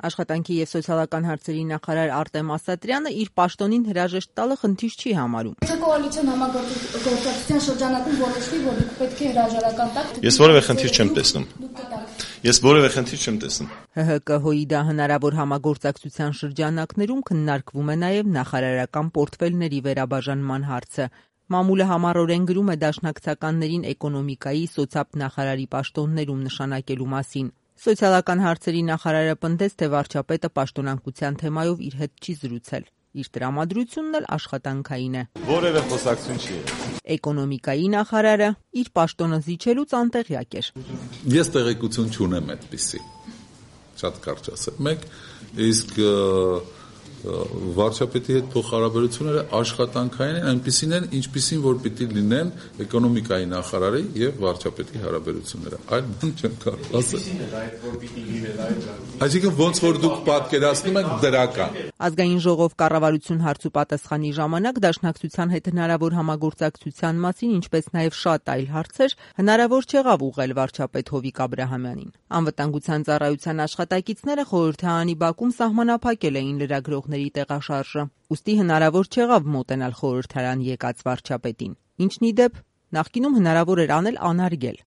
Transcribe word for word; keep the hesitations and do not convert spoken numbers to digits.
Աշխատանքի և սոցիալական հարցերի նախարար Արտեմ Ասատրյանը իր պաշտոնին հրաժեշտ տալը խնդիր չի համարում։ Եթե կոալիցիոն համագործակցության շրջանակում որոշվի, որ դուք պետք է հրաժարական տաք, Ես որևէ խնդիր չեմ տեսնում։ Ես որևէ խնդիր չեմ տեսնում։ ՀՀԿ-ՀՅԴ հնարավոր համագործակցության շրջանակներում քննարկվում է նաև նախարարական պորտֆելների վերաբաժանման հարցը։ Մամուլը համառորեն գրում է դաշնակցականներին էկոնոմիկայի, սոցապ նախարարի պաշտոններում նշանակելու մասին։ Սոցիալական հարցերի նախարարը պնդեց, թե վարչապետը պաշտոնանկության թեմայով իր հետ չի զրուցել։ Իր տրամադրությունն էլ աշխատանքային է։ Որևէ խոսակցություն չի եղել։ Էկոնոմիկայի նախարարը իր պաշտոնը զիջելուց անտեղյակ էր։ Ես տեղեկություն չունեմ այդպիսի։ Շատ կարճ ասեմ եք, իսկ վարչապետի հետ փոխհարաբերությունները աշխատանքային են, այնպիսին են, ինչպիսին որ պիտի լինեն էկոնոմիկայի նախարարի եւ վարչապետի հարաբերությունները։ Այլ բան չեմ կարող ասել։ Այսինքն ոնց որ դուք պատկերացնում եք դրական։ Ազգային ժողով կառավարություն հարց ու պատասխանի ժամանակ դաշնակցության հետ հնարավոր համագործակցության մասին, ինչպես նաև շատ այլ հարցեր, հնարավոր չեղավ ուղղել վարչապետ Հովիկ Աբրահամյանին։ Անվտանգության ծառայության աշխատակիցները խորհրդարանի բակում սահմանափակել էին լրագրողների տեղաշարժը, ուստի հնարավոր չեղավ մոտենալ խորհրդարան եկած վարչապետին։ Ինչն ի դեպ, նախկինում հնարավոր էր անել անարգել։